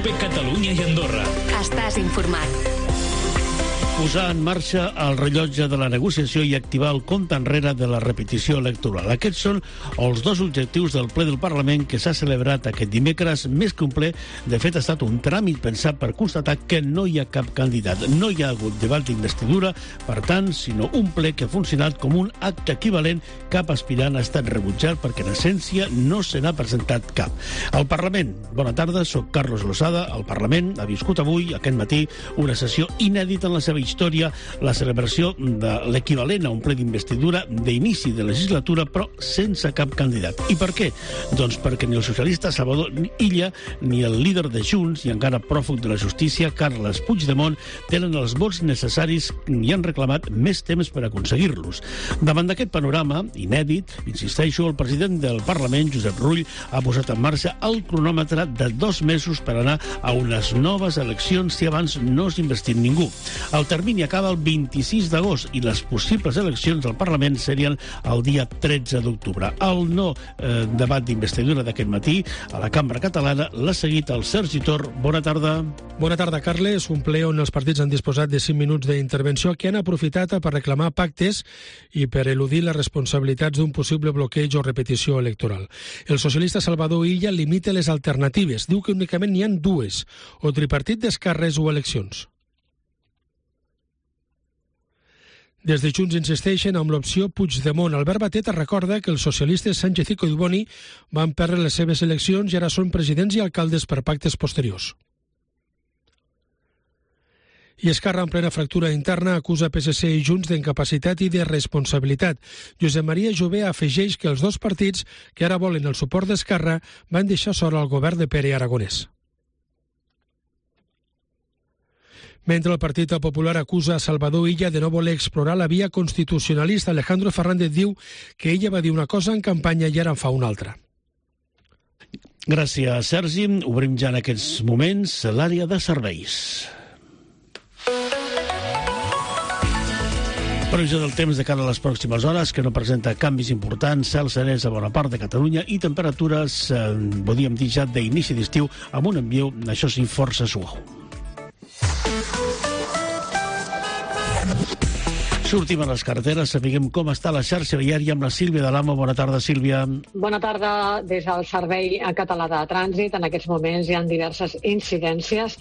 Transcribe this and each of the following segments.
COPE Catalunya i Andorra. Estàs informat. Posar en marxa el rellotge de la negociació i activar el compte enrere de la repetició electoral. Aquests són els dos objectius del ple del Parlament que s'ha celebrat aquest dimecres, més que un ple. De fet, ha estat un tràmit pensat per constatar que no hi ha cap candidat. No hi ha hagut debat d'investidura, per tant, sinó un ple que ha funcionat com un acte equivalent. Cap aspirant ha estat rebutjat perquè, en essència, no se n'ha presentat cap. El Parlament. Bona tarda, soc Carlos Losada. El Parlament ha viscut avui, aquest matí, una sessió inèdita en la seva història, la celebració de l'equivalent a un ple d'investidura d'inici de legislatura, però sense cap candidat. I per què? Doncs perquè ni el socialista Salvador Illa ni el líder de Junts i encara pròfug de la justícia, Carles Puigdemont, tenen els vots necessaris i han reclamat més temps per aconseguir-los. Davant d'aquest panorama inèdit, insisteixo, el president del Parlament, Josep Rull, ha posat en marxa el cronòmetre de 2 mesos per anar a unes noves eleccions si abans no s'investit ningú. El termini acaba el 26 d'agost i les possibles eleccions al Parlament serien el dia 13 d'octubre. El no debat d'investidura d'aquest matí a la Cambra Catalana l'ha seguit el Sergi Tor. Bona tarda. Bona tarda, Carles. Un ple on els partits han disposat de 5 minuts d'intervenció que han aprofitat per reclamar pactes i per eludir les responsabilitats d'un possible bloqueig o repetició electoral. El socialista Salvador Illa limita les alternatives. Diu que únicament n'hi ha 2, o tripartit d'esquerres o eleccions. Des de Junts insisteixen amb l'opció Puigdemont. Albert Batet recorda que els socialistes Sánchez i Collboni van perdre les seves eleccions i ara són presidents i alcaldes per pactes posteriors. I Esquerra, en plena fractura interna, acusa PSC i Junts d'incapacitat i de responsabilitat. Josep Maria Jové afegeix que els dos partits, que ara volen el suport d'Esquerra, van deixar sola el govern de Pere Aragonès. Mentre el Partit Popular acusa a Salvador Illa de no voler explorar la via constitucionalista, Alejandro Fernández diu que ella va dir una cosa en campanya i ara en fa una altra. Gràcies, Sergi. Obrim ja en aquests moments l'àrea de serveis. Previsió del temps de cara a les pròximes hores, que no presenta canvis importants, cel serès a bona part de Catalunya i temperatures, podríem dir ja d'inici d'estiu, amb un ambient, això sí, força suau. Sortim a les carreteres, sapiguem com està la xarxa viària amb la Sílvia de l'Amo. Bona tarda, Sílvia. Bona tarda. Des del Servei Català de Trànsit, en aquests moments hi ha diverses incidències,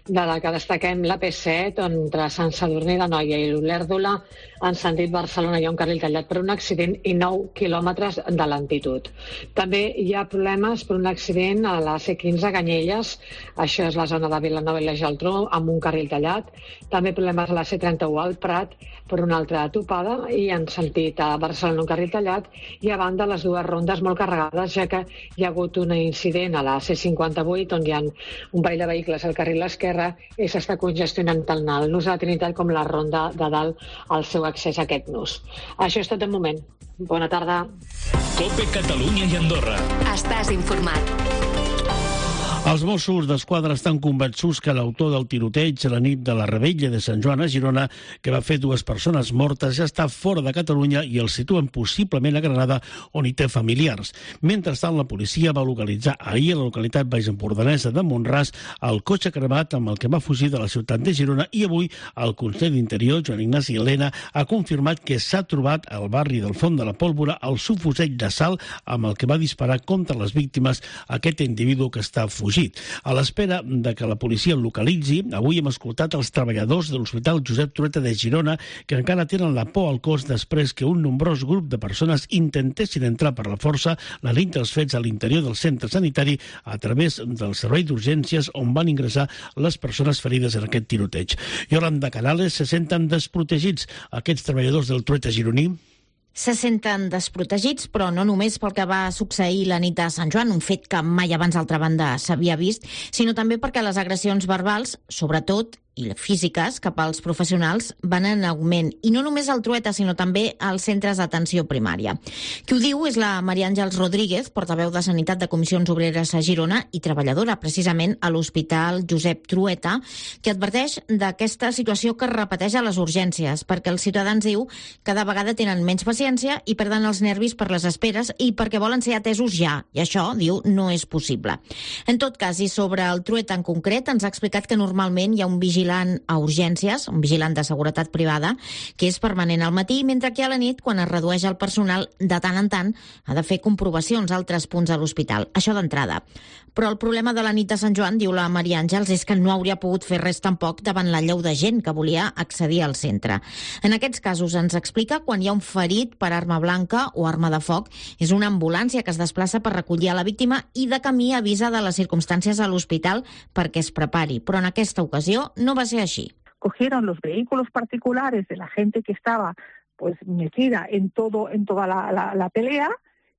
de la que destaquem la P7, entre Sant Sadurní d'Anoia i l'Olèrdola, en sentit Barcelona hi ha un carril tallat per un accident i 9 quilòmetres de lentitud. També hi ha problemes per un accident a la C15 a Canyelles, això és la zona de Vilanova i la Geltrú, amb un carril tallat. També problemes a la C31 al Prat, per una altra topada, i en sentit a Barcelona un carril tallat, i a banda les dues rondes molt carregades, ja que hi ha hagut un incident a la C58 on hi ha un parell de vehicles al carril esquerre i s'està congestionant tant el nus de la Trinitat com la ronda de dalt al seu accés a aquest nus. Això és tot de moment. Bona tarda. COPE Catalunya i Andorra. Estàs informat. Els Mossos d'Esquadra estan convençuts que l'autor del tiroteig a la nit de la Revetlla de Sant Joan a Girona, que va fer 2 persones mortes, ja està fora de Catalunya i el situen possiblement a Granada, on hi té familiars. Mentrestant, la policia va localitzar ahir a la localitat baixempordanesa de Mont-ras el cotxe cremat amb el que va fugir de la ciutat de Girona, i avui el conseller d'Interior, Joan Ignasi Elena, ha confirmat que s'ha trobat al barri del Font de la Pólvora el subfusell d'assalt amb el que va disparar contra les víctimes aquest individu que està fugit. A l'espera de que la policia el localitzi, avui hem escoltat els treballadors de l'Hospital Josep Trueta de Girona, que encara tenen la por al cos després que un nombrós grup de persones intentessin entrar per la força la nit dels fets a l'interior del centre sanitari a través del servei d'urgències on van ingressar les persones ferides en aquest tiroteig. Yolanda Canales, se senten desprotegits aquests treballadors del Trueta gironí? Se senten desprotegits, però no només pel que va succeir la nit de Sant Joan, un fet que mai abans, d'altra banda, s'havia vist, sinó també perquè les agressions verbals, sobretot, i físiques cap als professionals van en augment. I no només al Trueta, sinó també als centres d'atenció primària. Qui ho diu és la Maria Àngels Rodríguez, portaveu de Sanitat de Comissions Obreres a Girona i treballadora precisament a l'Hospital Josep Trueta, que adverteix d'aquesta situació que es repeteix a les urgències, perquè els ciutadans, diu, cada vegada tenen menys paciència i perden els nervis per les esperes i perquè volen ser atesos ja. I això, diu, no és possible. En tot cas, i sobre el Trueta en concret, ens ha explicat que normalment hi ha un vigilant a urgències, un vigilant de seguretat privada, que és permanent al matí, mentre que a la nit, quan es redueix el personal, de tant en tant ha de fer comprovacions a altres punts de l'hospital. Això d'entrada. Però el problema de la nit de Sant Joan, diu la Maria Àngels, és que no hauria pogut fer res tampoc davant la lleu de gent que volia accedir al centre. En aquests casos ens explica quan hi ha un ferit per arma blanca o arma de foc, és una ambulància que es desplaça per recollir a la víctima i de camí avisa de les circumstàncies a l'hospital perquè es prepari. Però en aquesta ocasió no va ser así. Cogieron los vehículos particulares de la gente que estaba pues metida en toda la pelea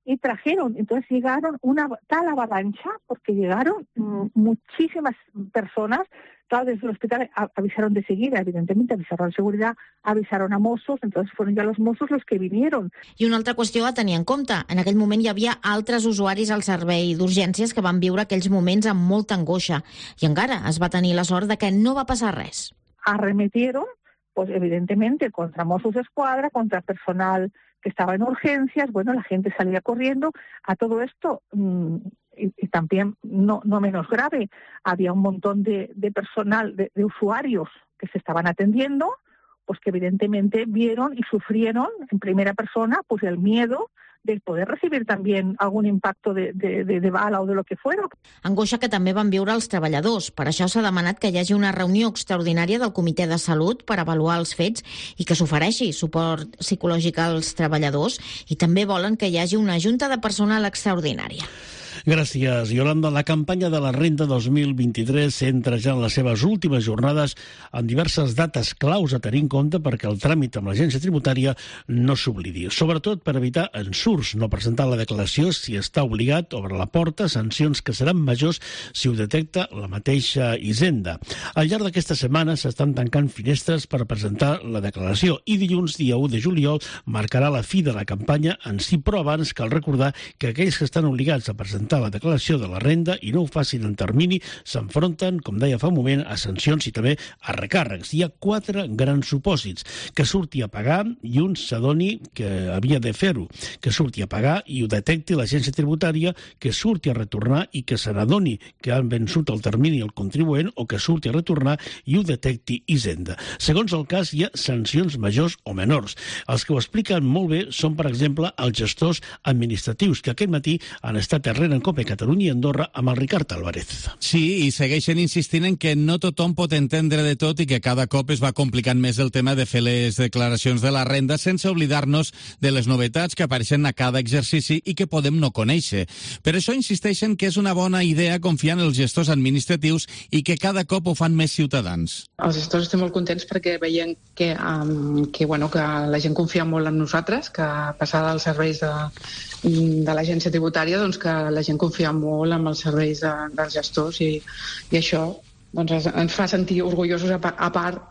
y trajeron, entonces llegaron una tal avalancha porque llegaron muchísimas personas. Claro, desde el hospital avisaron de seguida, evidentemente, avisaron a seguridad, avisaron a Mossos, entonces fueron ya los Mossos los que vinieron. I una altra qüestió a tenir en compte. En aquell moment hi havia altres usuaris al servei d'urgències que van viure aquells moments amb molta angoixa. I encara es va tenir la sort de que no va passar res. Arremetieron, pues evidentemente, contra Mossos d'Esquadra, contra personal que estaba en urgencias. Bueno, la gente salía corriendo. A todo esto... Y también, no menos grave, había un montón de personal, de usuarios que se estaban atendiendo, pues que evidentemente vieron y sufrieron en primera persona pues el miedo de poder recibir también algún impacto de bala o de lo que fuera. Angoixa que també van viure els treballadors. Per això s'ha demanat que hi hagi una reunió extraordinària del Comitè de Salut per avaluar els fets i que s'ofereixi suport psicològic als treballadors, i també volen que hi hagi una junta de personal extraordinària. Gràcies, Yolanda. La campanya de la Renda 2023 s'entra ja en les seves últimes jornades amb diverses dates claus a tenir en compte perquè el tràmit amb l'agència tributària no s'oblidi. Sobretot per evitar ensurts, no presentar la declaració si està obligat, obre la porta, sancions que seran majors si ho detecta la mateixa Hisenda. Al llarg d'aquesta setmana s'estan tancant finestres per presentar la declaració i dilluns, dia 1 de juliol, marcarà la fi de la campanya en si, però abans cal recordar que aquells que estan obligats a presentar la declaració de la renda i no ho facin en termini s'enfronten, com deia fa un moment, a sancions i també a recàrrecs. Hi ha 4 grans supòsits: que surti a pagar i un s'adoni que havia de fer-ho, que surti a pagar i ho detecti l'agència tributària, que surti a retornar i que se n'adoni que han vençut el termini el contribuent, o que surti a retornar i ho detecti Hisenda. Segons el cas, hi ha sancions majors o menors. Els que ho expliquen molt bé són, per exemple, els gestors administratius, que aquest matí han estat darrere en COPE Catalunya i Andorra amb el Ricard Álvarez. Sí, i segueixen insistint en que no tothom pot entendre de tot i que cada cop es va complicant més el tema de fer les declaracions de la renda, sense oblidar-nos de les novetats que apareixen a cada exercici i que podem no conèixer. Per això insisteixen que és una bona idea confiar en els gestors administratius i que cada cop ho fan més ciutadans. Els gestors estem molt contents perquè veiem que la gent confia molt en nosaltres, que passada als serveis de l'agència tributària, doncs que la gent confia molt en els serveis dels gestors i això doncs, ens fa sentir orgullosos, a part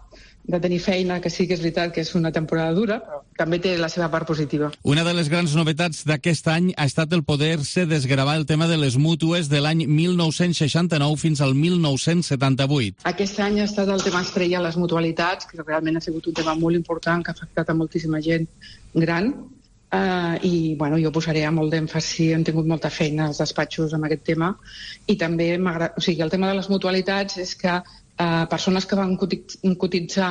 de tenir feina, que sí que és veritat que és una temporada dura, però també té la seva part positiva. Una de les grans novetats d'aquest any ha estat el poder-se desgravar el tema de les mútues de l'any 1969 fins al 1978. Aquest any ha estat el tema estrella, les mutualitats, que realment ha sigut un tema molt important que ha afectat a moltíssima gent gran. Jo posaré molt d'èmfasi, hem tingut molta feina als despatxos amb aquest tema, i també el tema de les mutualitats és que persones que van cotitzar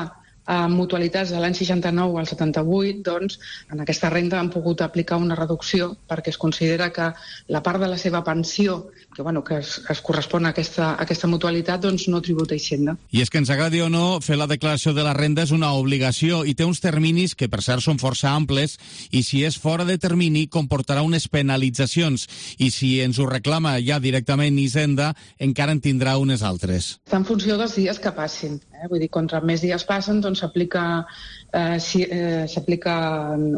mutualitats de l'any 69 al 78, doncs, en aquesta renda han pogut aplicar una reducció perquè es considera que la part de la seva pensió que es correspon a aquesta mutualitat, doncs no tributa Hisenda. I és que ens agradi o no, fer la declaració de la renda és una obligació i té uns terminis que per cert són força amples, i si és fora de termini comportarà unes penalitzacions, i si ens ho reclama ja directament Hisenda encara en tindrà unes altres. Està en funció dels dies que passin. Vull dir, contra més dies passen, doncs s'apliquen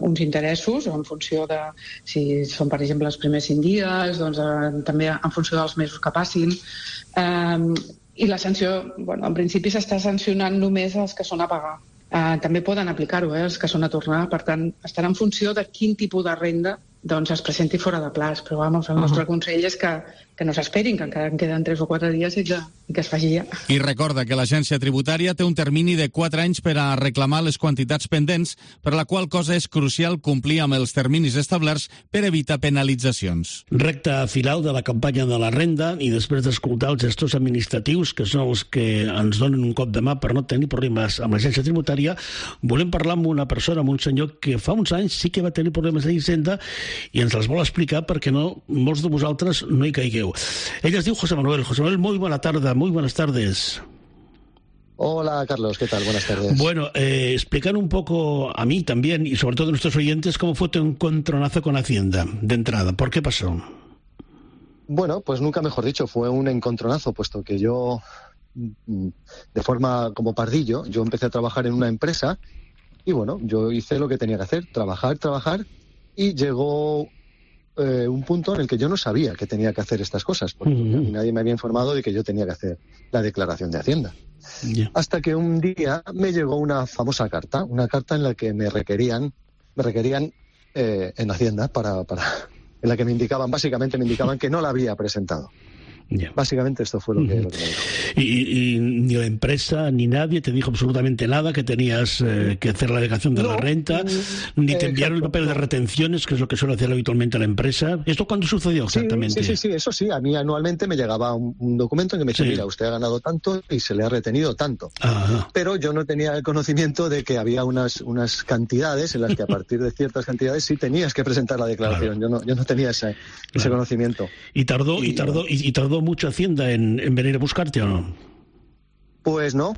uns interessos en funció de si són, per exemple, els primers 5 dies, doncs també en funció dels mesos que passin. I la sanció, bueno, en principi s'està sancionant només els que són a pagar. També poden aplicar-ho, els que són a tornar. Per tant, estarà en funció de quin tipus de renda doncs es presenti fora de plaç. Però vamos, el nostre consell és que no s'esperin, que encara en queden 3 o 4 dies i que es faci ja. I recorda que l'agència tributària té un termini de 4 anys per a reclamar les quantitats pendents, per la qual cosa és crucial complir amb els terminis establerts per evitar penalitzacions. Recta final de la campanya de la renda i després d'escoltar els gestors administratius, que són els que ens donen un cop de mà per no tenir problemes amb l'agència tributària, volem parlar amb una persona, amb un senyor que fa uns anys sí que va tenir problemes a Hisenda i ens els vol explicar perquè no, molts de vosaltres no hi caigueu. Ella es diu José Manuel. José Manuel, muy buena tarde, muy buenas tardes. Hola, Carlos, ¿qué tal? Buenas tardes. Bueno, explicar un poco a mí también y sobre todo a nuestros oyentes cómo fue tu encontronazo con Hacienda de entrada. ¿Por qué pasó? Bueno, pues nunca mejor dicho, fue un encontronazo, puesto que yo, de forma como pardillo, yo empecé a trabajar en una empresa y bueno, yo hice lo que tenía que hacer, trabajar y llegó un punto en el que yo no sabía que tenía que hacer estas cosas, porque nadie me había informado de que yo tenía que hacer la declaración de Hacienda. Yeah. Hasta que un día me llegó una famosa carta, una carta en la que me requerían en Hacienda en la que básicamente me indicaban que no la había presentado. Yeah. Básicamente esto fue lo que me dijo. Y ni la empresa ni nadie te dijo absolutamente nada, que tenías que hacer la declaración de la renta, ni te enviaron el papel de retenciones, que es lo que suele hacer habitualmente la empresa. ¿Esto cuándo sucedió exactamente? Sí, eso sí. A mí anualmente me llegaba un documento en que me decía, mira, usted ha ganado tanto y se le ha retenido tanto. Ajá. Pero yo no tenía el conocimiento de que había unas cantidades en las que a partir de ciertas cantidades sí tenías que presentar la declaración. Claro. Yo no tenía ese conocimiento. ¿Y tardó mucho Hacienda en venir a buscarte o no? Pues no.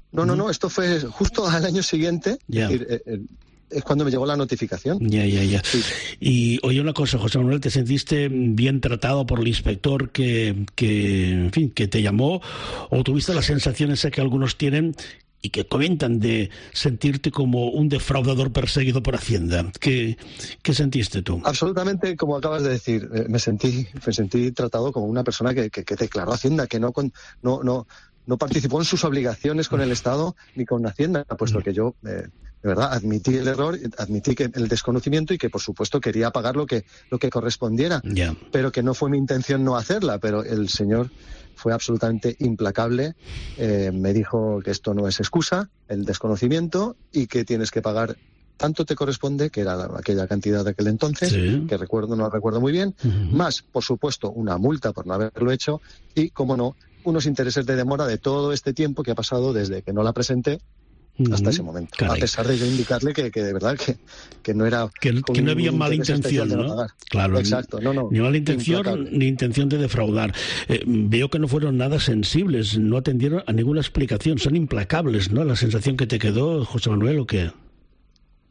Esto fue justo al año siguiente. Yeah. Es cuando me llegó la notificación. Ya. Sí. Y oye una cosa, José Manuel, ¿te sentiste bien tratado por el inspector que te llamó? ¿O tuviste la sensación esa que algunos tienen y que comentan de sentirte como un defraudador perseguido por Hacienda? ¿Qué sentiste tú? Absolutamente, como acabas de decir, me sentí tratado como una persona que declaró Hacienda, que no participó en sus obligaciones con el Estado ni con Hacienda, puesto que yo, de verdad, admití el error, admití el desconocimiento y que, por supuesto, quería pagar lo que correspondiera, pero que no fue mi intención no hacerla, pero el señor fue absolutamente implacable, me dijo que esto no es excusa, el desconocimiento, y que tienes que pagar tanto te corresponde, que era aquella cantidad de aquel entonces, que no recuerdo muy bien, más, por supuesto, una multa por no haberlo hecho y, como no, unos intereses de demora de todo este tiempo que ha pasado desde que no la presenté hasta ese momento. Caray. A pesar de yo indicarle que de verdad que no era... Que no había mala intención, ¿no? Claro. Exacto, no. Ni mala intención, ni intención de defraudar. Veo que no fueron nada sensibles, no atendieron a ninguna explicación, son implacables, ¿no? La sensación que te quedó, José Manuel, ¿o qué?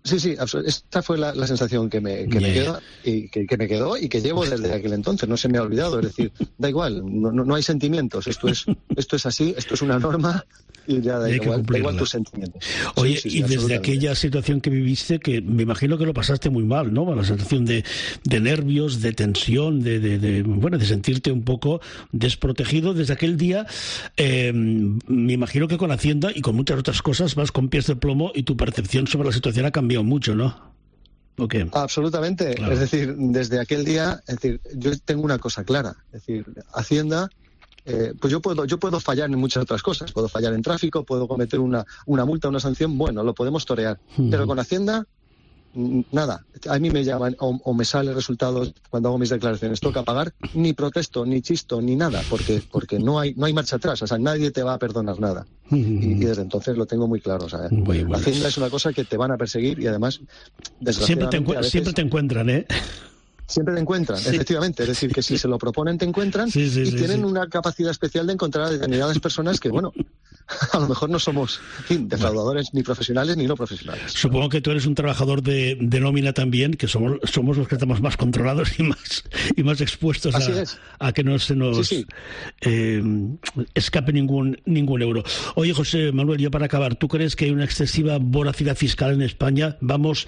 Sí, esta fue la sensación que me quedó y que me quedó y que llevo desde aquel entonces, no se me ha olvidado, es decir, da igual, no hay sentimientos, esto es así, esto es una norma y ya da igual tus sentimientos. Oye, sí, y desde aquella situación que viviste, que me imagino que lo pasaste muy mal, ¿no? La sensación de nervios, de tensión, de sentirte un poco desprotegido, desde aquel día, me imagino que con Hacienda y con muchas otras cosas vas con pies de plomo y tu percepción sobre la situación ha cambiado mucho, ¿no? Okay. Absolutamente. Claro. Es decir, desde aquel día, yo tengo una cosa clara. Es decir, Hacienda, pues yo puedo fallar en muchas otras cosas. Puedo fallar en tráfico, puedo cometer una multa, una sanción. Bueno, lo podemos torear. Pero con Hacienda, nada. A mí me llaman o me salen resultados cuando hago mis declaraciones. Toca pagar, ni protesto, ni chisto, ni nada, porque no hay marcha atrás. O sea, nadie te va a perdonar nada. Y desde entonces lo tengo muy claro. O sea, la Hacienda es una cosa que te van a perseguir y además, desgraciadamente, siempre te encuentran, ¿eh? Siempre te encuentran, efectivamente. Es decir, que si se lo proponen, te encuentran y tienen una capacidad especial de encontrar a determinadas personas que, bueno, a lo mejor no somos defraudadores ni profesionales ni no profesionales. Supongo que tú eres un trabajador de nómina también, que somos los que estamos más controlados y más expuestos a que no se nos escape ningún euro. Oye, José Manuel, ya para acabar, ¿tú crees que hay una excesiva voracidad fiscal en España? Vamos,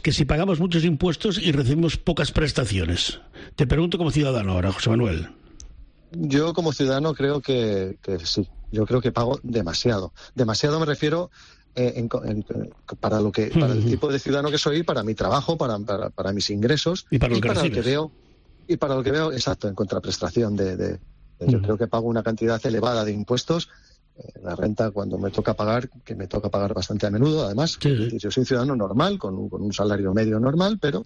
que si pagamos muchos impuestos y recibimos pocas prestaciones. Te pregunto como ciudadano ahora, José Manuel. Yo como ciudadano creo que sí. Yo creo que pago demasiado. Demasiado me refiero para el tipo de ciudadano que soy, para mi trabajo, para mis ingresos y para lo que veo. Y para lo que veo, exacto, en contraprestación yo creo que pago una cantidad elevada de impuestos. La renta, cuando me toca pagar, que me toca pagar bastante a menudo, además. Sí. Yo soy un ciudadano normal, con un salario medio normal, pero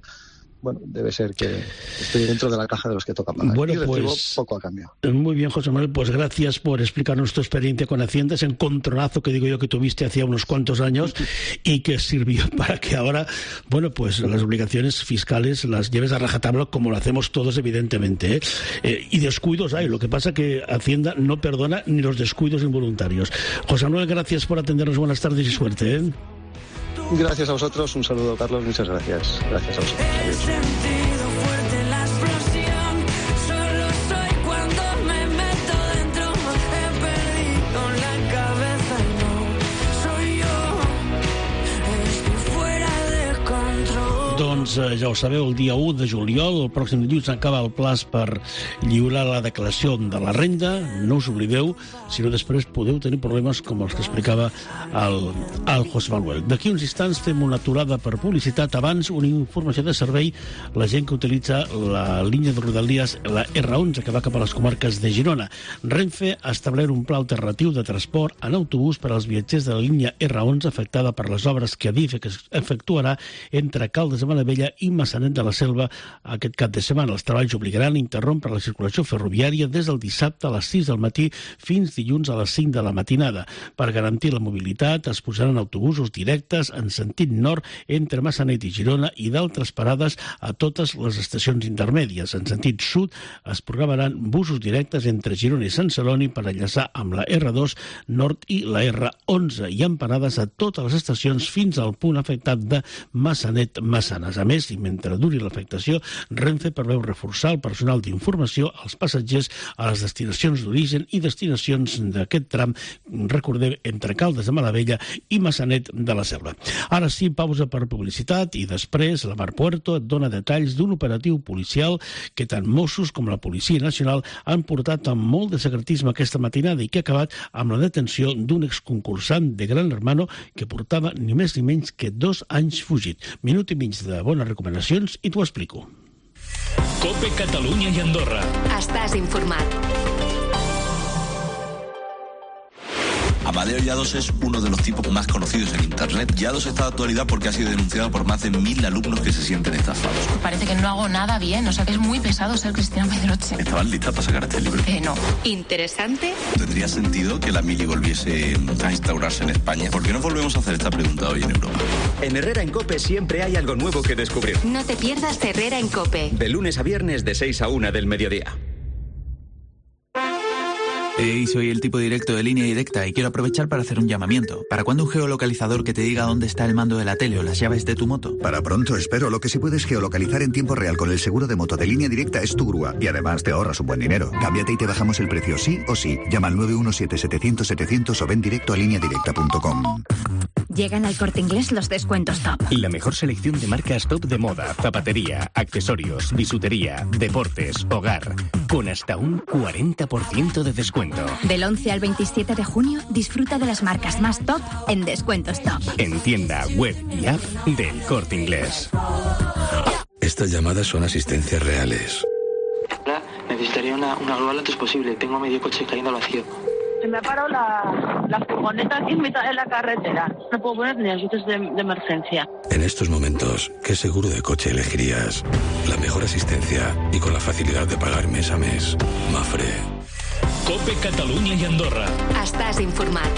bueno, debe ser que estoy dentro de la caja de los que toca pagar. Bueno, y recibo pues, poco a cambio. Muy bien, José Manuel, pues gracias por explicarnos tu experiencia con Hacienda, ese encontronazo que digo yo que tuviste hacía unos cuantos años y que sirvió para que ahora, bueno, pues las obligaciones fiscales las lleves a rajatabla como lo hacemos todos, evidentemente, ¿eh? Y descuidos hay, lo que pasa que Hacienda no perdona ni los descuidos involuntarios. José Manuel, gracias por atendernos, buenas tardes y suerte, ¿eh? Gracias a vosotros, un saludo, Carlos, muchas gracias. Gracias a vosotros. Adiós. Doncs ja ho sabeu, el dia 1 de juliol, el pròxim dilluns, acaba el plaç per lliurar la declaració de la renda. No us oblideu, si no després podeu tenir problemes com els que explicava el José Manuel. D'aquí uns instants fem una aturada per publicitat. Abans, una informació de servei. La gent que utilitza la línia de Rodalies, la R11, que va cap a les comarques de Girona. Renfe ha establert un pla alternatiu de transport en autobús per als viatgers de la línia R11 afectada per les obres que Adif efectuarà entre Caldes de Malavella i Maçanet de la Selva aquest cap de setmana. Els treballs obligaran a interrompre la circulació ferroviària des del dissabte a les 6 del matí fins dilluns a les 5 de la matinada. Per garantir la mobilitat es posaran autobusos directes en sentit nord entre Maçanet i Girona i d'altres parades a totes les estacions intermèdies. En sentit sud es programaran busos directes entre Girona i Sant Celoni per enllaçar amb la R2 Nord i la R11 i amb parades a totes les estacions fins al punt afectat de Maçanet-Massanes. A més, i mentre duri l'afectació, Renfe preveu reforçar el personal d'informació als passatgers a les destinacions d'origen i destinacions d'aquest tram, recordem, entre Caldes de Malavella i Maçanet de la Selva. Ara sí, pausa per publicitat i després la Mar Puerto et dona detalls d'un operatiu policial que tant Mossos com la Policia Nacional han portat amb molt de secretisme aquesta matinada i que ha acabat amb la detenció d'un exconcursant de Gran Hermano que portava ni més ni menys que 2 anys fugit. Minut i mig de bones recomanacions i t'ho explico. COPE Catalunya i Andorra. Estàs informat. Amadeo Llados es uno de los tipos más conocidos en Internet. Llados está de actualidad porque ha sido denunciado por más de 1000 alumnos que se sienten estafados. Parece que no hago nada bien, o sea que es muy pesado ser Cristina Pedroche. ¿Estabas lista para sacar este libro? No. ¿Interesante? ¿Tendría sentido que la mili volviese a instaurarse en España? ¿Por qué no volvemos a hacer esta pregunta hoy en Europa? En Herrera en COPE siempre hay algo nuevo que descubrir. No te pierdas Herrera en COPE. De lunes a viernes de 6 a 1 del mediodía. Hey, soy el tipo directo de Línea Directa y quiero aprovechar para hacer un llamamiento. ¿Para cuándo un geolocalizador que te diga dónde está el mando de la tele o las llaves de tu moto? Para pronto, espero. Lo que sí puedes geolocalizar en tiempo real con el seguro de moto de Línea Directa es tu grúa. Y además te ahorras un buen dinero. Cámbiate y te bajamos el precio sí o sí. Llama al 917-700-700 o ven directo a lineadirecta.com. Llegan al Corte Inglés los descuentos top. La mejor selección de marcas top de moda, zapatería, accesorios, bisutería, deportes, hogar. Con hasta un 40% de descuento. Del 11 al 27 de junio, disfruta de las marcas más top en descuentos top. En tienda, web y app del Corte Inglés. Estas llamadas son asistencias reales. Hola, necesitaría una grúa lo antes posible. Tengo medio coche cayendo al vacío. Se me ha parado la furgoneta aquí en mitad de la carretera. No puedo poner ni ayudas de emergencia. En estos momentos, ¿qué seguro de coche elegirías? La mejor asistencia y con la facilidad de pagar mes a mes. Mafre. COPE Catalunya i Andorra. Estàs informat.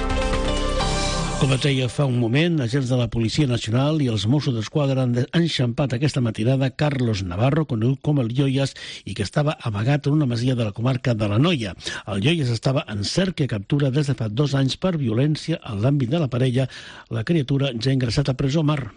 Com et deia fa un moment, agents de la Policia Nacional i els Mossos d'Esquadra han enxampat aquesta matinada Carlos Navarro, conegut com el Yoyas, i que estava amagat en una masia de la comarca de l'Anoia. El Yoyas estava en cerca i captura des de fa 2 anys per violència en l'àmbit de la parella. La criatura ja ha ingressat a presó. Mar.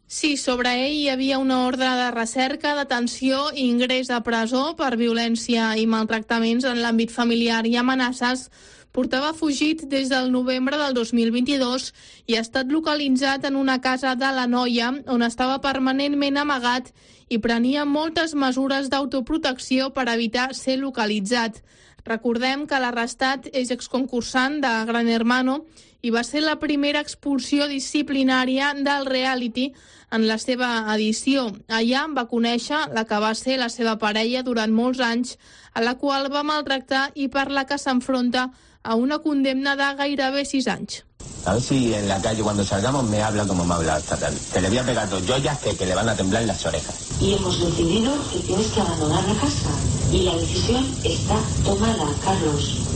Sí, sobre ell hi havia una ordre de recerca, detenció i ingrés a presó per violència i maltractaments en l'àmbit familiar i amenaces. Portava fugit des del novembre del 2022 i ha estat localitzat en una casa de l'Anoia on estava permanentment amagat i prenia moltes mesures d'autoprotecció per evitar ser localitzat. Recordem que l'arrestat és exconcursant de Gran Hermano i va ser la primera expulsió disciplinària del reality en la seva edició. Allà va conèixer la que va ser la seva parella durant molts anys, a la qual va maltractar i per la que s'enfronta a una condemna de gairebé 6 anys. A ver si en la calle cuando salgamos me habla como me ha hablado esta tarde. Que le voy a pegar 2 joyas que le van a temblar las orejas. Y hemos decidido que tienes que abandonar la casa. Y la decisión está tomada, Carlos.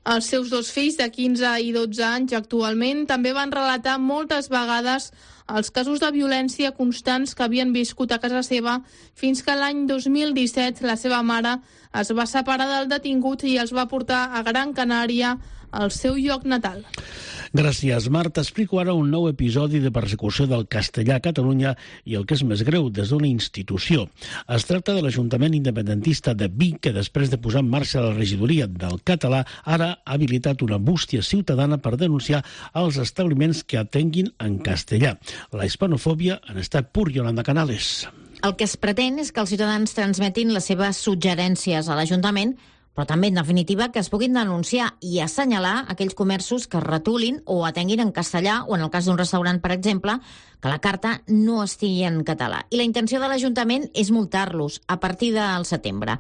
Els seus 2 fills de 15 i 12 anys actualment també van relatar moltes vegades els casos de violència constants que havien viscut a casa seva fins que l'any 2017 la seva mare es va separar del detingut i els va portar a Gran Canària, al seu lloc natal. Gràcies, Marta. Explico ara un nou episodi de persecució del castellà a Catalunya i el que és més greu, des d'una institució. Es tracta de l'Ajuntament independentista de Vic, que després de posar en marxa la regidoria del català, ara ha habilitat una bústia ciutadana per denunciar els establiments que atenguin en castellà. La hispanofòbia en estat pur, Yolanda Canales. El que es pretén és que els ciutadans transmetin les seves suggerències a l'Ajuntament, però també, en definitiva, que es puguin denunciar i assenyalar aquells comerços que retolin o atenguin en castellà o, en el cas d'un restaurant, per exemple, que la carta no estigui en català. I la intenció de l'Ajuntament és multar-los a partir del setembre.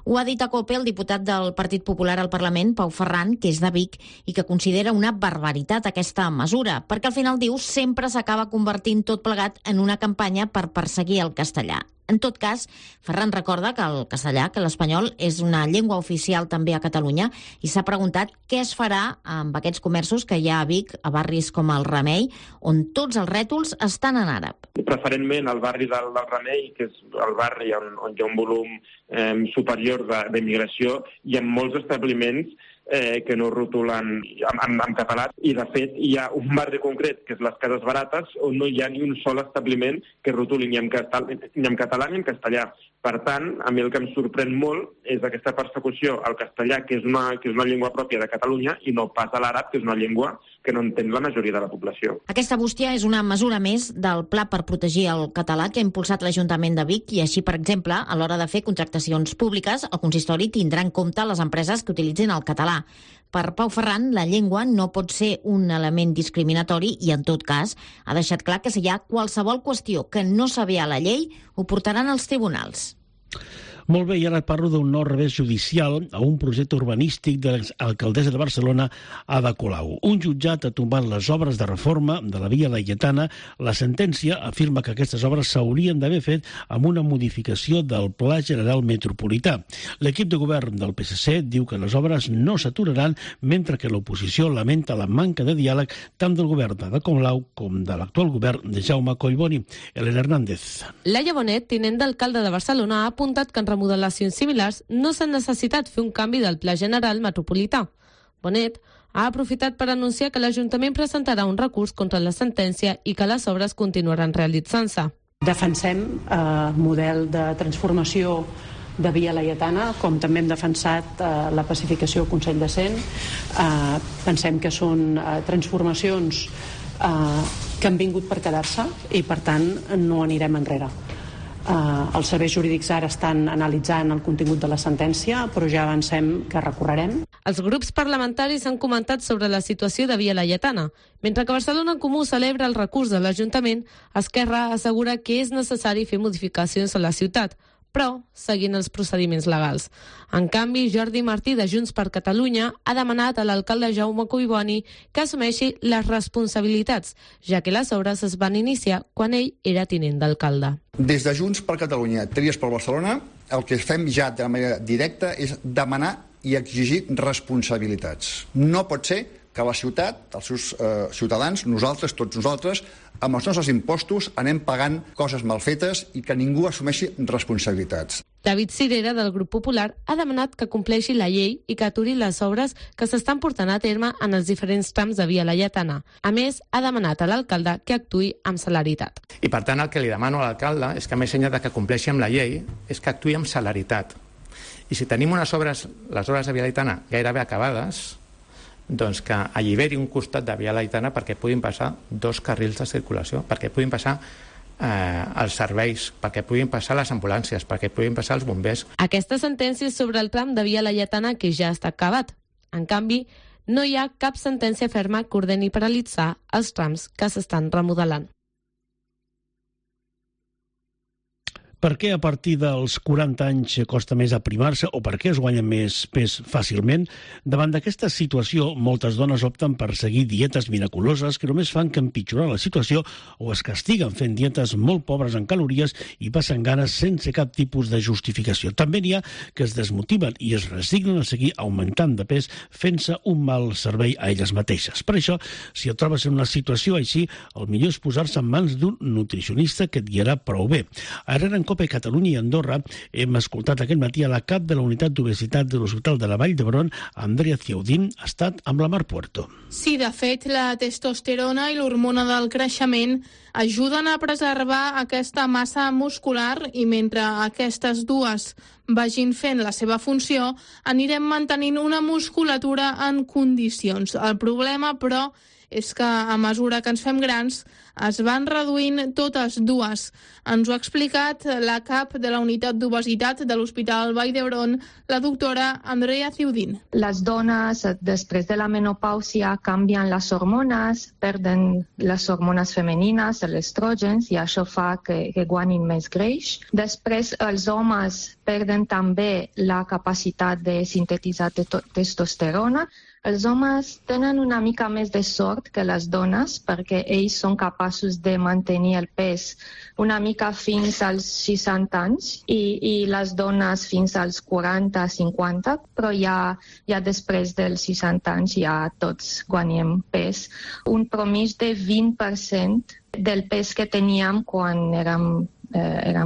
Ho ha dit a COPE el diputat del Partit Popular al Parlament, Pau Ferran, que és de Vic, i que considera una barbaritat aquesta mesura, perquè al final, diu, sempre s'acaba convertint tot plegat en una campanya per perseguir el castellà. En tot cas, Ferran recorda que el castellà, que l'espanyol, és una llengua oficial també a Catalunya i s'ha preguntat què es farà amb aquests comerços que hi ha a Vic, a barris com el Remei, on tots els rètols estan en àrab. Preferentment al barri del Remei, que és el barri on hi ha un volum superior d'immigració, hi ha molts establiments que no rotulen en català, i de fet hi ha un barri concret, que és les Cases Barates, on no hi ha ni un sol establiment que rotuli ni en català ni en castellà. Per tant, a mi el que em sorprèn molt és aquesta persecució al castellà, que és una llengua pròpia de Catalunya, i no pas a l'àrab, que és una llengua que no entén la majoria de la població. Aquesta bústia és una mesura més del pla per protegir el català que ha impulsat l'Ajuntament de Vic, i així, per exemple, a l'hora de fer contractacions públiques, el consistori tindrà en compte les empreses que utilitzin el català. Per Pau Ferran, la llengua no pot ser un element discriminatori i, en tot cas, ha deixat clar que si hi ha qualsevol qüestió que no s'avé a la llei, ho portaran als tribunals. Molt bé, i ara parlo d'un nou revés judicial a un projecte urbanístic de l'exalcaldessa de Barcelona, Ada Colau. Un jutjat ha tombat les obres de reforma de la Via Laietana. La sentència afirma que aquestes obres s'haurien d'haver fet amb una modificació del Pla General Metropolità. L'equip de govern del PSC diu que les obres no s'aturaran, mentre que l'oposició lamenta la manca de diàleg tant del govern d'Ada Colau com de l'actual govern de Jaume Collboni. Elena Hernández. Laia Bonet, tinent d'alcalde de Barcelona, ha apuntat que en remodelacions similars no s'ha necessitat fer un canvi del Pla General Metropolità. Bonet ha aprofitat per anunciar que l'Ajuntament presentarà un recurs contra la sentència i que les obres continuaran realitzant-se. Defensem el model de transformació de Via Laietana, com també hem defensat la pacificació al Consell de Cent. Pensem que són transformacions que han vingut per quedar-se i, per tant, no anirem enrere. Els serveis jurídics ara estan analitzant el contingut de la sentència, però ja avancem que recorrerem. Els grups parlamentaris han comentat sobre la situació de Via Laietana. Mentre que Barcelona en Comú celebra el recurs de l'Ajuntament, Esquerra assegura que és necessari fer modificacions a la ciutat, però seguint els procediments legals. En canvi, Jordi Martí, de Junts per Catalunya, ha demanat a l'alcalde Jaume Collboni que assumeixi les responsabilitats, ja que les obres es van iniciar quan ell era tinent d'alcalde. Des de Junts per Catalunya, Tries per Barcelona, el que fem ja de manera directa és demanar i exigir responsabilitats. No pot ser que la ciutat, els seus ciutadans, nosaltres, tots nosaltres, amb els nostres impostos anem pagant coses mal fetes i que ningú assumeixi responsabilitats. David Cirera, del Grup Popular, ha demanat que compleixi la llei i que aturi les obres que s'estan portant a terme en els diferents trams de Via Laietana. A més, ha demanat a l'alcalde que actuï amb celeritat. I per tant el que li demano a l'alcalde és que, més enllà de que compleixi amb la llei, és que actuï amb celeritat. I si tenim les obres de Via Laietana gairebé acabades, doncs que alliberi un costat de Via Laietana perquè puguin passar 2 carrils de circulació, perquè puguin passar els serveis, perquè puguin passar les ambulàncies, perquè puguin passar els bombers. Aquesta sentència és sobre el tram de Via Laietana que ja està acabat. En canvi, no hi ha cap sentència ferma que ordeni paralitzar els trams que s'estan remodelant. Per què a partir dels 40 anys costa més aprimar-se o per què es guanya més pes fàcilment? Davant d'aquesta situació, moltes dones opten per seguir dietes miraculoses que només fan que empitjorar la situació o es castiguen fent dietes molt pobres en calories i passen ganes sense cap tipus de justificació. També n'hi ha que es desmotiven i es resignen a seguir augmentant de pes fent-se un mal servei a elles mateixes. Per això, si et trobes en una situació així, el millor és posar-se en mans d'un nutricionista que et guiarà prou bé. Ara en COPE Catalunya i Andorra hem escoltat aquest matí a la cap de la unitat d'obesitat de l'Hospital de la Vall d'Hebron, Andrea Ciaudín, ha estat amb la Mar Puerto. Sí, de fet, la testosterona i l'hormona del creixement ajuden a preservar aquesta massa muscular i mentre aquestes dues vagin fent la seva funció, anirem mantenint una musculatura en condicions. El problema, però, és que a mesura que ens fem grans es van reduint totes dues. Ens ho ha explicat la cap de la unitat d'obesitat de l'Hospital Vall d'Hebron, la doctora Andrea Ciudín. Les dones després de la menopàusia canvien les hormones, perden les hormones femenines, els estrògens, i això fa que guanyin més greix. Després els homes perden també la capacitat de sintetitzar testosterona. Els homes tenen una mica més de sort que les dones perquè ells són capaços de mantenir el pes una mica fins als 60 anys i les dones fins als 40-50, però ja després dels 60 anys ja tots guanyem pes. Un promís de 20% del pes que teníem quan érem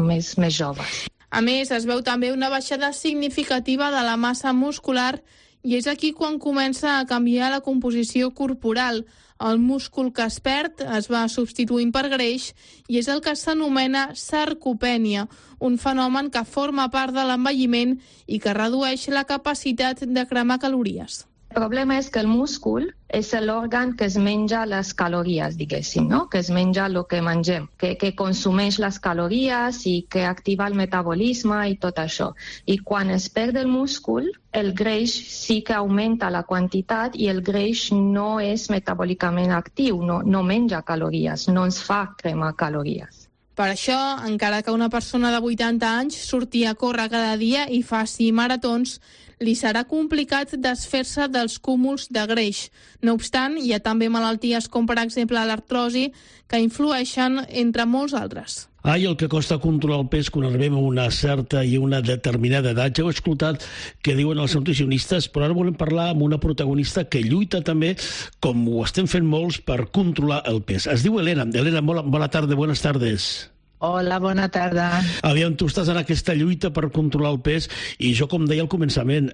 més joves. A més, es veu també una baixada significativa de la massa muscular i és aquí quan comença a canviar la composició corporal. El múscul que es perd es va substituint per greix i és el que s'anomena sarcopènia, un fenomen que forma part de l'envelliment i que redueix la capacitat de cremar calories. El problema és que el múscul és l'òrgan que es menja les calories, diguéssim, no? Que es menja el que mengem, que consumeix les calories i que activa el metabolisme i tot això. I quan es perd el múscul, el greix sí que augmenta la quantitat i el greix no és metabòlicament actiu, no menja calories, no ens fa cremar calories. Per això, encara que una persona de 80 anys surti a córrer cada dia i faci maratons, li serà complicat desfer-se dels cúmuls de greix. No obstant, hi ha també malalties com, per exemple, l'artrosi, que influeixen entre molts altres. I el que costa controlar el pes quan arribem a una certa i una determinada edat. Ja ho he escoltat que diuen els nutricionistes, però ara volem parlar amb una protagonista que lluita també, com ho estem fent molts, per controlar el pes. Es diu Elena. Elena, bona tarda, buenas tardes. Hola, bona tarda. Aviam, tu estàs en aquesta lluita per controlar el pes i jo, com deia al començament,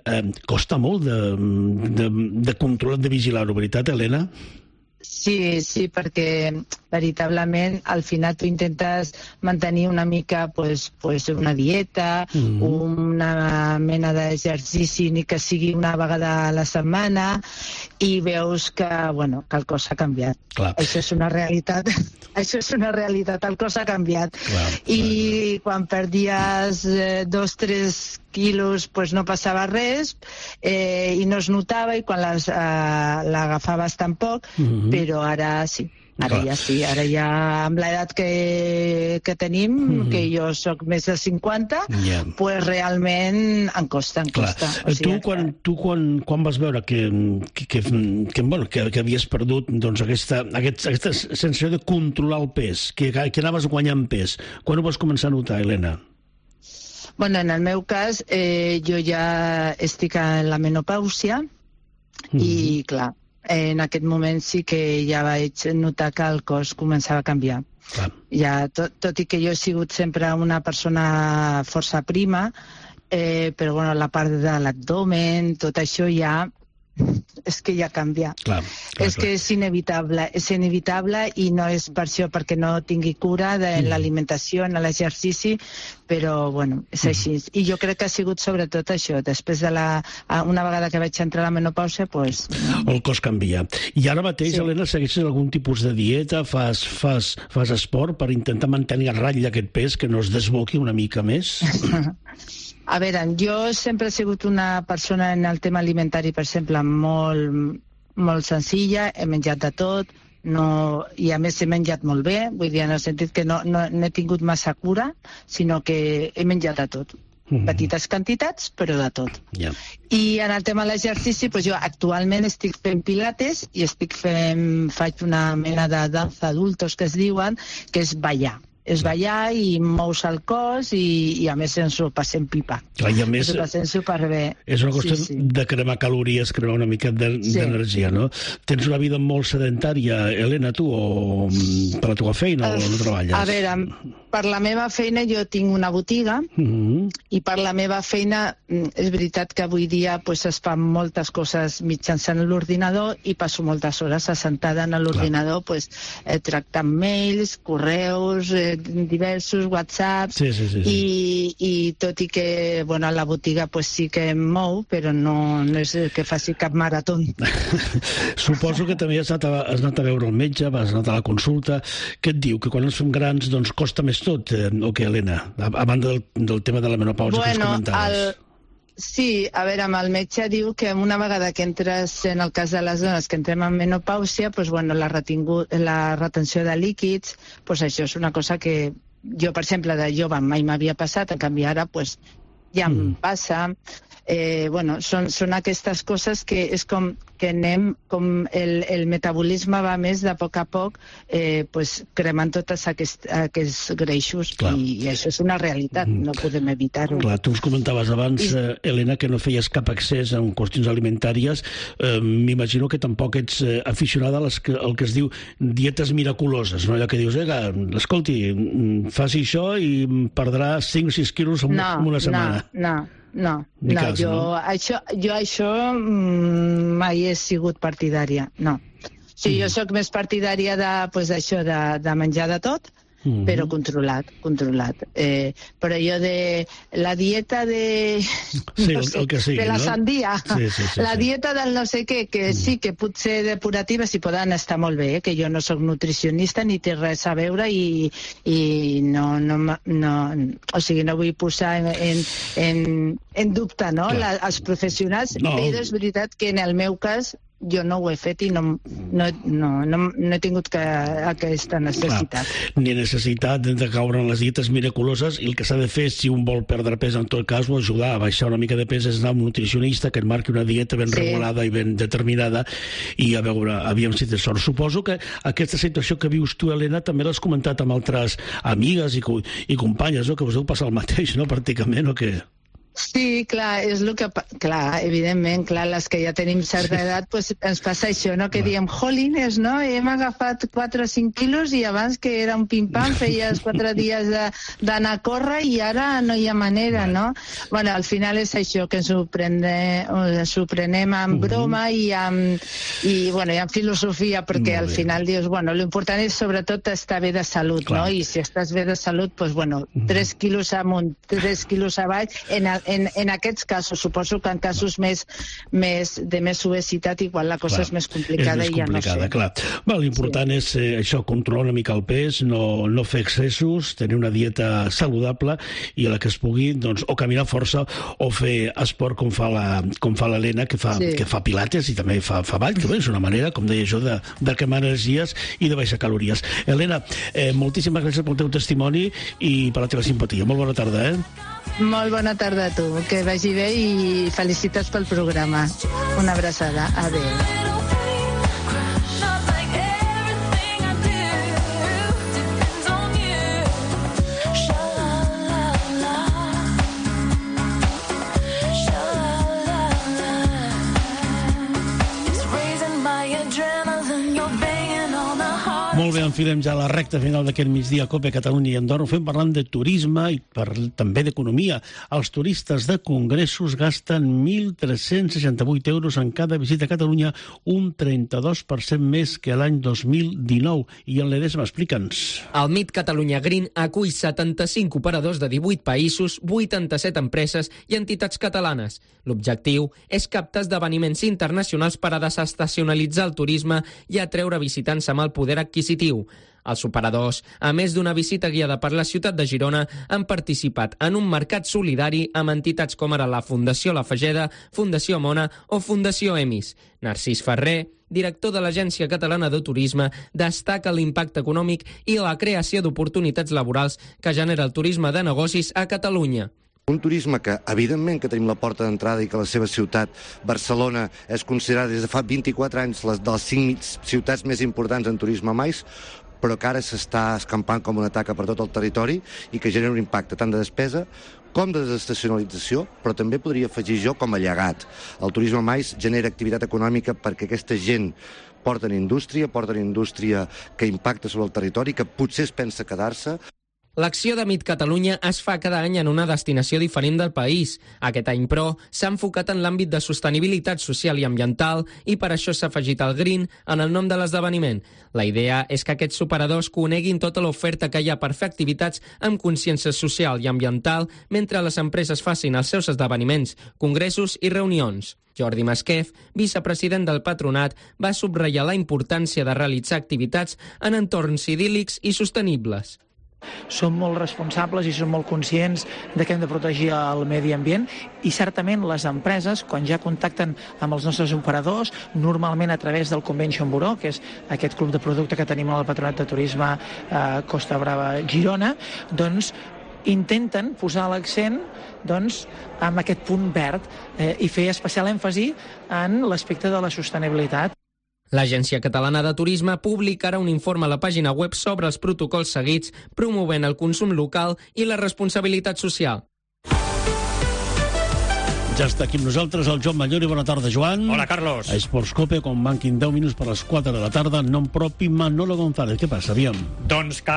costa molt de controlar, de vigilar-ho, veritat, Elena? Sí, perquè veritablement al final tu intentes mantenir una mica una dieta, una mena d'exercici ni que sigui una vegada a la setmana i veus que el cos ha canviat. Clar. Això és una realitat. Això és una realitat, el cos ha canviat. I quan perdies 2-3 quilos no passava res i no es notava i quan l'agafaves tampoc, però ara sí. Ara ja amb l'edat que tenim, que jo sóc més de 50, realment em costa. Tu quan vas veure que havies perdut aquesta sensació de controlar el pes, que anaves guanyant pes, quan ho vas començar a notar, Elena? En el meu cas, jo ja estic en la menopàusia i, clar, en aquest moment sí que ja vaig notar que el cos començava a canviar. Ja, tot i que jo he sigut sempre una persona força prima, però la part de l'abdomen, tot això ja és que ja canvia. Clar, és que és inevitable i no és per això perquè no tingui cura de l'alimentació, en l'exercici, però bueno, és així. I jo crec que ha sigut sobretot això, després de una vegada que vaig entrar a la menopàusia, doncs... El cos canvia. I ara mateix, Helena, segueixes algun tipus de dieta? Fas esport per intentar mantenir a ratlla aquest pes, que no es desboqui una mica més? A veure, jo sempre he sigut una persona en el tema alimentari, per exemple, molt senzilla, he menjat de tot, i a més he menjat molt bé, vull dir, en el sentit que no he tingut massa cura, sinó que he menjat de tot. Petites quantitats, però de tot. I en el tema de l'exercici, jo actualment estic fent pilates i faig una mena de danza adultos que es diuen, que és ballar. És ballar i mous el cos i a més ens ho passem pipa. Clar, i a més, ens ho passem superbé. És una qüestió de cremar calories, cremar una mica d'energia, no? Tens una vida molt sedentària, Helena, tu, o per la teva feina o no treballes? A veure, per la meva feina jo tinc una botiga i per la meva feina és veritat que avui dia es fan moltes coses mitjançant l'ordinador i passo moltes hores assentada en l'ordinador tractant mails, correus, diversos whatsapps i tot i que a la botiga sí que em mou, però no és que faci cap marató. Suposo que també has anat a veure el metge, has anat a la consulta. Què et diu? Que quan ens fem grans costa més tot, o què, Helena? A banda del tema de la menopausa que ens comentaves. Sí, a veure, amb el metge diu que una vegada que entres, en el cas de les dones que entrem en menopàusia, la retenció de líquids, això és una cosa que jo, per exemple, de jove mai m'havia passat, en canvi ara ja em passa. Són aquestes coses que és com que anem, com el metabolisme va més de poc a poc cremant tots aquests greixos i això és una realitat, no podem evitar-ho. Clar, tu ens comentaves abans, Helena, que no feies cap accés en qüestions alimentàries. M'imagino que tampoc ets aficionada al que es diu dietes miraculoses, no? Allò que dius, escolti, faci això i perdrà 5 o 6 quilos en una setmana. Jo això mai he sigut partidària, no. Jo sóc més partidària de menjar de tot, però controlat. Però jo de la dieta de la sandia, la dieta del no sé què, que sí que potser depurativa si poden estar molt bé, que jo no sóc nutricionista ni té res a veure i no vull posar en dubte els professionals, però és veritat que en el meu cas jo no ho he fet i no he tingut aquesta necessitat. Ni necessitat de caure en les dietes miraculoses, i el que s'ha de fer, si un vol perdre pes, en tot cas, o ajudar a baixar una mica de pes, és anar a un nutricionista que et marqui una dieta ben regulada i ben determinada i a veure, aviam si té sort. Suposo que aquesta situació que vius tu, Helena, també l'has comentat amb altres amigues i companyes, que us heu passat el mateix, no?, pràcticament, o què? Sí, clar, és el que... Clar, evidentment, les que ja tenim certa edat, ens passa això, no?, que diem, jolines, no?, hem agafat 4 o 5 quilos i abans que era un pim-pam, feies 4 dies d'anar a córrer i ara no hi ha manera, no? Al final és això, que ens ho prenem amb broma i amb filosofia, perquè al final dius, l'important és sobretot estar bé de salut, no? I si estàs bé de salut, 3 quilos amunt, 3 quilos avall, en aquests casos, suposo que en casos de més obesitat igual la cosa és més complicada i ja no sé. L'important és això, controlar una mica el pes, no fer excessos, tenir una dieta saludable i a la que es pugui, o caminar força o fer esport com fa l'Helena, que fa pilates i també fa ball, que és una manera, com deia jo, de cremar energies i de baixar calories. Helena, moltíssimes gràcies pel teu testimoni i per la teva simpatia. Molt bona tarda, Molt bona tarda a tu, que vagi bé i felicitats pel programa. Una abraçada. Adéu. Molt Molt bé, enfilem ja la recta final d'aquest migdia COPE Catalunya i Andorra. Ho fem parlant de turisme i també d'economia. Els turistes de congressos gasten 1.368 euros en cada visita a Catalunya, un 32% més que l'any 2019. I en l'Edesma, explica'ns. El Meet Catalunya Green acull 75 operadors de 18 països, 87 empreses i entitats catalanes. L'objectiu és captar esdeveniments internacionals per a desestacionalitzar el turisme i atreure visitants amb el poder adquisitiu. Els operadors, a més d'una visita guiada per la ciutat de Girona, han participat en un mercat solidari amb entitats com ara la Fundació La Fageda, Fundació Mona o Fundació Emis. Narcís Ferrer, director de l'Agència Catalana de Turisme, destaca l'impacte econòmic i la creació d'oportunitats laborals que genera el turisme de negocis a Catalunya. Un turisme que, evidentment, que tenim la porta d'entrada i que la seva ciutat, Barcelona, és considerada des de fa 24 anys de les 5 ciutats més importants en turisme mai, però que ara s'està escampant com una taca per tot el territori i que genera un impacte tant de despesa com de desestacionalització, però també podria afegir jo com a llegat. El turisme mais genera activitat econòmica perquè aquesta gent porten indústria que impacta sobre el territori, que potser es pensa quedar-se. L'acció de Meet Catalunya es fa cada any en una destinació diferent del país. Aquest any, però, s'ha enfocat en l'àmbit de sostenibilitat social i ambiental i per això s'ha afegit el Green en el nom de l'esdeveniment. La idea és que aquests operadors coneguin tota l'oferta que hi ha per fer activitats amb consciència social i ambiental mentre les empreses facin els seus esdeveniments, congressos i reunions. Jordi Masquef, vicepresident del Patronat, va subratllar la importància de realitzar activitats en entorns idíl·lics i sostenibles. Som molt responsables i som molt conscients de que hem de protegir el medi ambient i certament les empreses, quan ja contacten amb els nostres operadors, normalment a través del Convention Bureau, que és aquest club de producte que tenim al Patronat de Turisme Costa Brava Girona, doncs intenten posar l'accent en aquest punt verd i fer especial èmfasi en l'aspecte de la sostenibilitat. L'Agència Catalana de Turisme publicarà un informe a la pàgina web sobre els protocols seguits, promovent el consum local i la responsabilitat social. Ja està aquí amb nosaltres el Joan Mallori. Bona tarda, Joan. Hola, Carlos. A Esports Cope, quan manquin 10 minuts per les 4 de la tarda, nom propi Manolo González. Què passa, aviam? Doncs que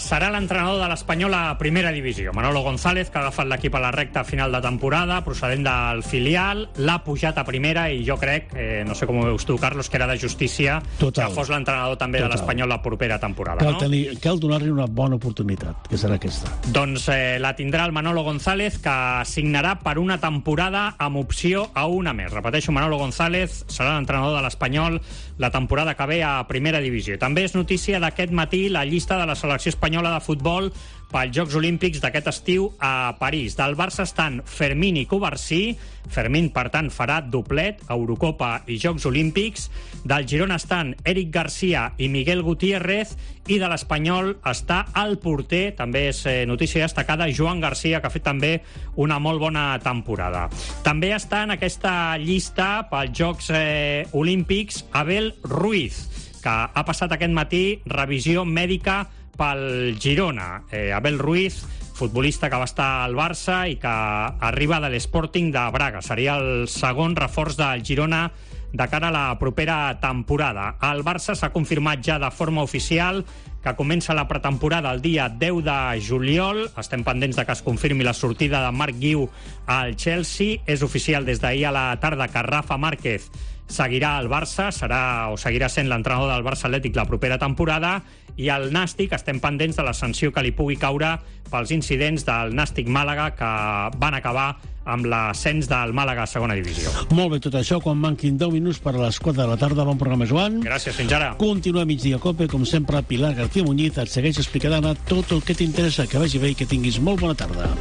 serà l'entrenador de l'Espanyol a primera divisió. Manolo González, que ha agafat l'equip a la recta final de temporada, procedent del filial, l'ha pujat a primera i jo crec, no sé com ho veus tu, Carlos, que era de justícia que fos l'entrenador també de l'Espanyol la propera temporada. Cal donar-li una bona oportunitat, que serà aquesta. Doncs la tindrà el Manolo González, que signarà per una temporada amb opció a una més. Repeteixo, Manolo González serà l'entrenador de l'Espanyol la temporada que ve a primera divisió. També és notícia d'aquest matí la llista de la selecció espanyola de futbol pels Jocs Olímpics d'aquest estiu a París. Del Barça estan Fermín i Covarsí. Fermín, per tant, farà doblet, Eurocopa i Jocs Olímpics. Del Girona estan Eric García i Miguel Gutiérrez. I de l'Espanyol està el porter, també és notícia destacada, Joan García, que ha fet també una molt bona temporada. També està en aquesta llista pels Jocs Olímpics Abel Ruiz, que ha passat aquest matí revisió mèdica pel Girona. Abel Ruiz, futbolista que va estar al Barça i que arriba de l'Sporting de Braga. Seria el segon reforç del Girona de cara a la propera temporada. El Barça s'ha confirmat ja de forma oficial que comença la pretemporada el dia 10 de juliol. Estem pendents de que es confirmi la sortida de Marc Guiu al Chelsea. És oficial des d'ahir a la tarda que Rafa Márquez seguirà al Barça, seguirà sent l'entrenador del Barça Atlètic la propera temporada, i el Nàstic estem pendents de la sanció que li pugui caure pels incidents del Nàstic Màlaga que van acabar amb l'ascens del Màlaga a segona divisió. Molt bé, tot això, quan manquin 10 minuts per a les 4 de la tarda. Bon programa, Joan. Gràcies, fins ara. Continua Migdia Cope, com sempre, Pilar García Muñiz et segueix explicant tot el que t'interessa. Que vagi bé i que tinguis molt bona tarda.